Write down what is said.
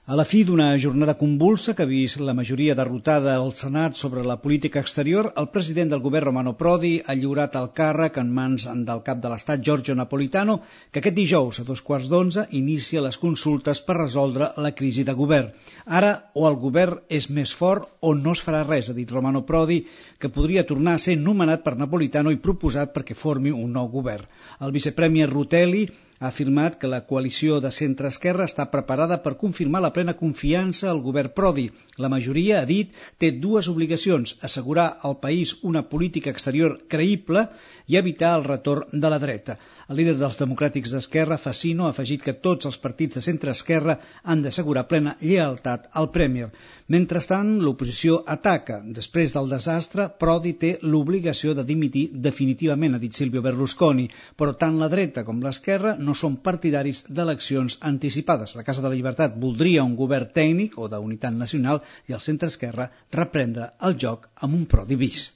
A la fi d'una jornada convulsa que ha vist la majoria derrotada al Senat sobre la política exterior, el president del govern Romano Prodi ha lliurat el càrrec en mans del cap de l'Estat Giorgio Napolitano, que aquest dijous a 11:15 inicia les consultes per resoldre la crisi de govern. Ara o el govern és més fort o no es farà res, ha dit Romano Prodi, que podria tornar a ser nomenat per Napolitano i proposat perquè formi un nou govern. El vicepremier Rutelli ha afirmat que la coalició de centre-esquerra està preparada per confirmar la plena confiança al govern Prodi. La majoria, ha dit, té dues obligacions: assegurar al país una política exterior creïble i evitar el retorn de la dreta. El líder dels democràtics d'Esquerra, Fassino, ha afegit que tots els partits de centre-esquerra han d'assegurar plena lleialtat al Premier. Mentrestant, l'oposició ataca. Després del desastre, Prodi té l'obligació de dimitir definitivament, ha dit Silvio Berlusconi, però tant la dreta com l'esquerra no són partidaris d'eleccions anticipades. La Casa de la Llibertat voldria un govern tècnic o d'unitat nacional i el centre-esquerra reprendre el joc amb un Prodi bis.